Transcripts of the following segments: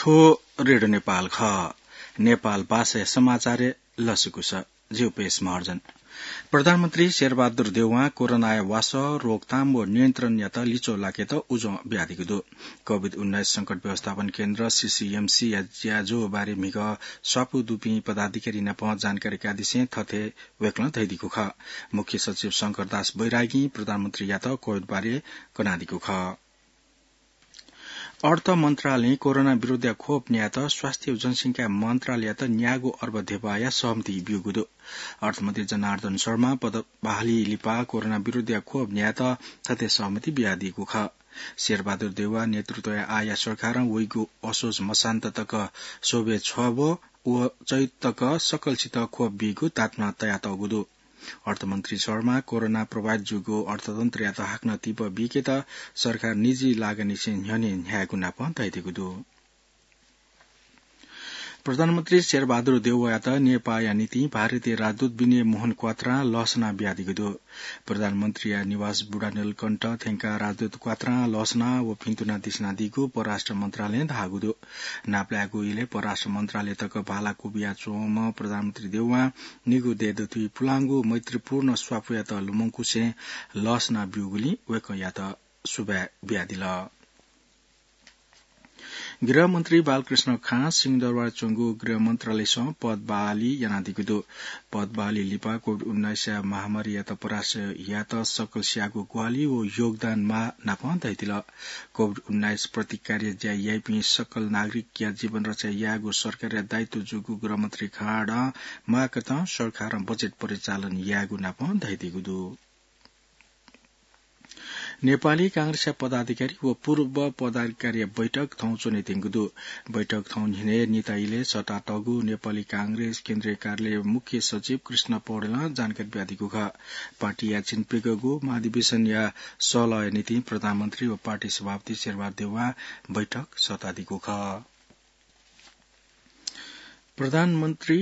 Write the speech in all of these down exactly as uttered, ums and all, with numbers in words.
थ्व रेडियो नेपाल खः। नेपाल भाषाया समाचारय् लसकुस। जिगु पेश महर्जन। प्रधानमन्त्री शेरबहादुर देउवां कोरोनाया वासः, रोकथाम व नियन्त्रणयात लिच्वः लाकेत उजं बियादीगु दु। कोभिड उन्नाइस संकट व्यवस्थापन केन्द्र, सीसीएमसी या ज्याझ्वः बारे म्हिगः स्वापू दुपिं पदाधिकारी नाप जानकारी कादिसें थथे वय्कलं धयादीगु खः। मुख्य सचिव शंकरदास बैरागीं प्रधानमन्त्रीयात कोभिड बारे कनादीगु खः। अर्थ मन्त्रालयं कोरोना विरुद्धया खोप न्यायेत स्वास्थ्य व जनसंख्या मन्त्रालययात न्यागू अर्ब धेबाया सहमति ब्यूगु दु। अर्थमन्त्री जनार्दन शर्मा पदबहाली लिपा कोरोना विरुद्धया खोप न्यायेत थथे सहमति बियादीगु खः। शेरबहादुर देउवा नेतृत्वया आःया सरकारं वइगु असोज मसान्त तक स्वब्वय् छब्व व चैत तक सकलसित खोप बीगु तात्मा तयातःगु दु। अर्थमन्त्री शर्मा कोरोना प्रभावित जूगु अर्थतन्त्रयात हाकनं तिबः बीकेत सरकार निजी लागनीसे न्ह्यःने न्ह्यायेगु नाप धयादीगु दु। प्रधानमन्त्री शेरबहादुर देउवायात नेपाःया निंतिं भारतीय राजदूत विनय मोहन क्वात्रां लसना बियादीगु दु। प्रधानमन्त्रीया निवास बुढानीलकण्ठ थ्यंकाः राजदूत क्वात्रां लसना व भिन्तुना दिसिनादीगु परराष्ट्र मन्त्रालयं धाःगु दु। नापलायेगु इलय् परराष्ट्र मन्त्रालय तक भाला क्वबिया च्वंम्ह प्रधानमन्त्री देउवां निगू देय् दथुइ पुलांगु मैत्रीपूर्ण स्वापूयात लुमंकुसें लसना ब्यूगुलिं वय्कःयात सुभाय् बियादिल। गृहमन्त्री बालकृष्ण खां सिंहदरबार च्वंगु गृह मन्त्रालयसं पदबहाली यानादीगु दु। पदबहाली लिपा कोभिड उन्नाइसया महामारीयात परास्त यायेत सकलसियागु ग्वाहालि व योगदान माः नाप धयादिल। कोभिड उन्नाइस प्रतिकारया ज्या याइपिं सकल नागरिकया जीवन रक्षा यायेगु सरकारया दायित्व जूगु गृहमन्त्री खाँडं माःकथं सरकारं बजेट परिचालन यायेगु नाप धयादीगु दु। नेपाली कांग्रेसया पदाधिकारी व पूर्व पदाधिकारीया बैठक थौं च्वनेत्यंगु दु। बैठक थौं न्हिनय् निता इलय् सःतातःगु नेपाली कांग्रेस केन्द्रीय कार्यालय मुख्य सचिव कृष्ण पौडेलं जानकारी बियादीगु खः। पार्टीया झिंप्यंगू महाधिवेशनया सल्लाहया निंतिं प्रधानमन्त्री व पार्टी सभापति शेरबहादुर देउवां बैठक सःतादीगु खः। प्रधानमन्त्री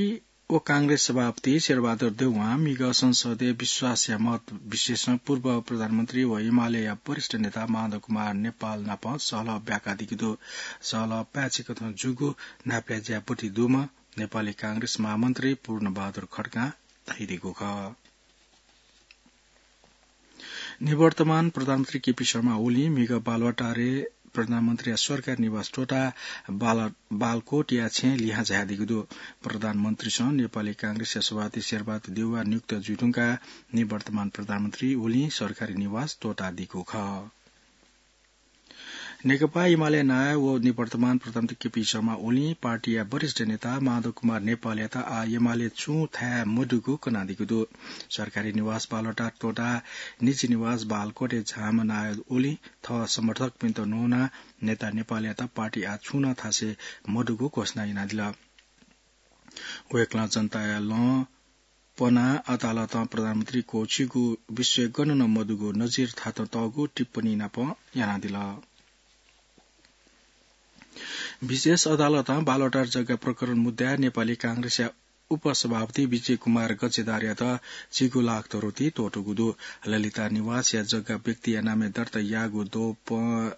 व कांग्रेस सभापति शेरबहादुर देउवां म्हिगः संसदय् विश्वासया मत विशेषं पूर्व प्रधानमन्त्री व एमालेया वरिष्ठ नेता माधव कुमार नेपाल नाप सहलह ब्याकादीगु दु। सहलह पाय्छि कथं जूगु नापलाये ज्या ब्वति दुम्ह नेपाली कांग्रेस महामन्त्री पूर्णबहादुर खड्गां धयादीगु खः। निवर्तमान प्रधानमन्त्री केपी शर्मा ओलीं म्हिगः बालुवाटारय् प्रधानमन्त्रीया सरकारी निवास त्वःताः बाल-, बालकोटया छेँय् लिहां झायादीगु दु। प्रधानमन्त्रीसं नेपाली कांग्रेसया सभापति शेरबहादुर देउवा नियुक्त जुइधुंकाः निवर्तमान प्रधानमन्त्री ओलीं सरकारी निवास त्वःतादीगु खः। नेकपा एमाले नायः व निवर्तमान प्रधानमन्त्री केपी शर्मा ओलीं पार्टीया वरिष्ठ नेता माधव कुमार नेपालयात आः एमाले छुं थाय् मदुगु कनादीगु दु। सरकारी निवास बालुवाटार त्वःताः निजी निवास बालकोटय् झाःम्ह नायः ओलीं थः समर्थकपिन्त न्वनाः नेता नेपालयात पार्टी आः छुं नं थासय् मदुगु घोषणा यानादिल। वय्कलं जनताया लँ पनाः अदालतं प्रधानमन्त्री क्वःछिइगु विषय गन नं मदुगु नजिर थातं तःगु टिप्पणी नाप यानादिल। विशेष अदालतं बालुवाटार जग्गा प्रकरण मुद्दाय् नेपाली कांग्रेसया उपसभापति विजय कुमार गच्छेदारयात झिगू लाख धरोटी त्वःतूगु दु। ललिता निवासया जग्गा व्यक्तिया नामय् दर्ता याःगु द्वपं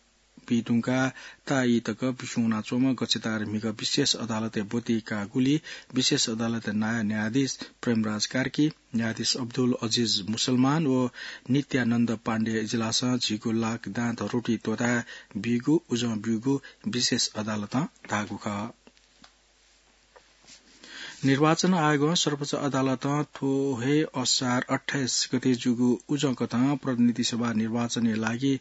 बीधुंकाः ताःई तक बिस्युं वनाच्वंम्ह गच्छेदार म्हिगः विशेष अदालतय् ब्वति काःगुलिइ विशेष अदालतया नायः न्यायाधीश प्रेमराज कार्की, न्यायाधीश अब्दुल अजिज मुसलमान व नित्यानन्द पाण्डे इजलासं झिगू लाख दां धरोटी त्वःताः बीगु उजं ब्यूगु विशेष अदालतं धाःगु खः। निर्वाचन आयोगं सर्वोच्च अदालतं थ्व हे असार अट्ठाइस गते जूगु उजंकथं प्रतिनिधि सभा निर्वाचनया लागि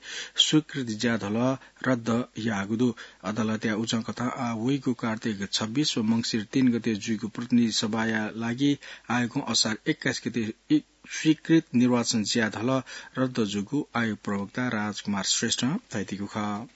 स्वीकृत ज्याधलः रद्द याःगु दु। अदालतया उजंकथं आः वइगु कार्तिक छब्बीस व मंसिर तीन गते जुइगु प्रतिनिधि सभाया लागि आयोगं असार एक्काइस गते इ-, स्वीकृत निर्वाचन ज्याधलः रद्द जूगु आयोग प्रवक्ता राजकुमार श्रेष्ठं धयादीगु खः।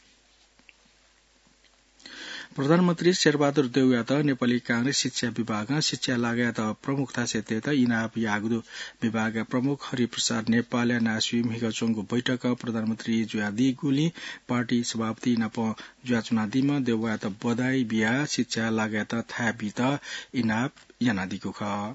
प्रधानमन्त्री शेरबहादुर देउवायात नेपाली कांग्रेस शिक्षा विभागं शिक्षा लागायत प्रमुख थासय् तयेत इनाप याःगु दु। विभागया प्रमुख हरिप्रसाद नेपालया नायःसुइ म्हिगः च्वंगु बैठकं प्रधानमन्त्री जुयादीगुलिं पार्टी सभापति नाप जुयाच्वनादीम्ह देउवायात बधाई बियाः शिक्षा लागायत थाय् बीत इनाप यानादीगु खः।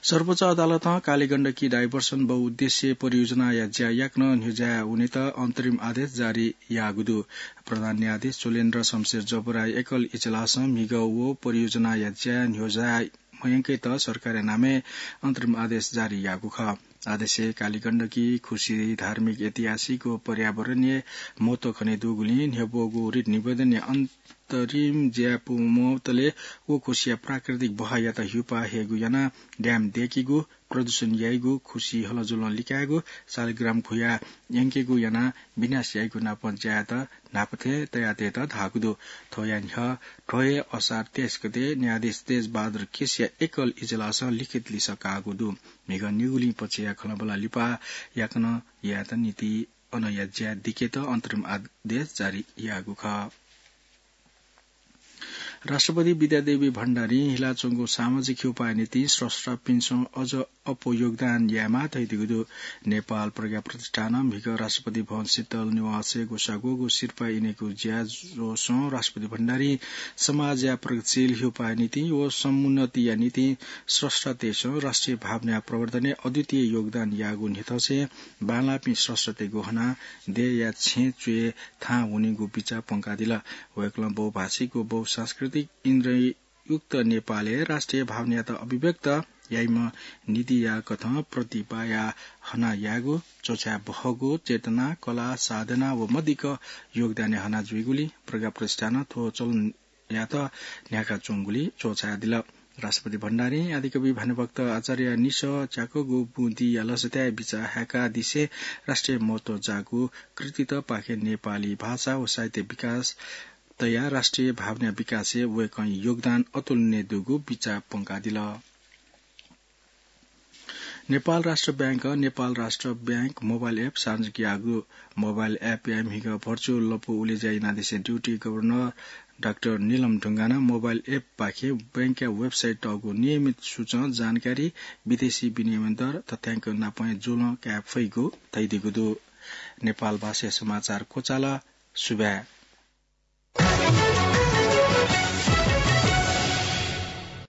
सर्वोच्च अदालतं कालीगण्डकी डाइभर्सन बहुउद्देश्य परियोजनाया ज्या याकनं न्ह्यज्याये वनेत अन्तरिम आदेश जारी याःगु दु। प्रधान न्यायाधीश चोलेन्द्र शमशेर जबराया एकल इजलासं म्हिगः व परियोजनाया ज्या न्ह्यज्याये मयंकेत सरकारया नामय् अन्तरिम आदेश जारी याःगु खः। आदेशय् कालीगण्डकी खुसी धार्मिक, ऐतिहासिक व पर्यावरणीय महत्व खने दुगुलिं न्ह्यब्वःगु रिट निवेदनया अन्तरिम ज्या पूवंतले व खुसिया प्राकृतिक बहःयात ह्युपाः हयेगु यानाः ड्याम दय्केगु, प्रदूषण याइगु, खुसी हलजुलं लिकायेगु, शालिग्राम खुया यंकेगु यानाः विनाश याइगु नापं ज्यायात न्हापा थें तयातयेत धाःगु दु। थ्वया न्ह्यः थ्व हे असार तेइस गते न्यायाधीश तेजबहादुर केसीया एकल इजलासं लिखित लिसः काःगु दु। म्हिगः निगुलिं पक्षया खँल्हाबल्हा लिपा याकनं यायेत निंतिं अनया ज्या दिकेत अन्तरिम आदेश जारी याःगु खः। राष्ट्रपति विद्यादेवी भण्डारीं हिलाच्वंगु सामाजिक ह्युपाःया निंतिं स्रष्टापिन्सं अझ अप्वः योगदान यायेमाः धयादीगु दु। नेपाल प्रज्ञा प्रतिष्ठानं म्हिगः राष्ट्रपति भवन शीतल निवासय् ग्वसाः ग्वःगु सिरपाः इनेगु ज्याझ्वलय् राष्ट्रपति भण्डारीं समाजया प्रगतिशील ह्युपाःया निंतिं व समुन्नतिया निंतिं स्रष्टातय्सं राष्ट्रिय भावनाया प्रवर्धनय् अद्वितीय योगदान याःगु न्ह्यथंसें बांलाःपिं स्रष्टातय्गु हनाः देय्या छेँय् च्वय् थाहां वनीगु बिचाः प्वंकादिल। वय्कलं बहुभाषिक व बहुसांस्कृतिक इन्द्रिययुक्त नेपालय् राष्ट्रिय भावनायात अभिव्यक्त याइम्ह निधिया कथं प्रतिभाया हना यायेगु, च्वछाये बहःगु चेतना, कला, साधना व मदिक्क योगदानया हना जुइगुलिं प्रज्ञा प्रतिष्ठानं थ्व चलन यात न्ह्याकाच्वंगुलिं च्वछायादिल। राष्ट्रपति भण्डारीं आदिकवि भानुभक्त आचार्यया निसः च्याकःगु बुँदिया लसताय् बिचाः हाय्कादिसें राष्ट्रिय महत्व जाःगु कृतित्वपाखें नेपाली भाषा व साहित्य विकास तयाः राष्ट्रिय भावना विकासय् वय्कःया योगदान अतुलनीय दुगु बिचाः प्वंकादिल। नेपाल राष्ट्र बैंकं नेपाल राष्ट्र बैंक मोबाइल एप सार्वजनिक याःगु दु। मोबाइल एपया म्हिगः भर्चुअल लँपु उलेज्या यानादिसें ड्युटी गभर्नर डाक्टर नीलम ढुङ्गानं मोबाइल एपपाखें बैंकया वेबसाइट तःगु नियमित सूचं, जानकारी, विदेशी विनिमय दर, तथ्यांक नापं हे ज्वलं काये फइगु धयादीगु दु। नेपाल भाषाया समाचार क्वचाल। सुभाय्।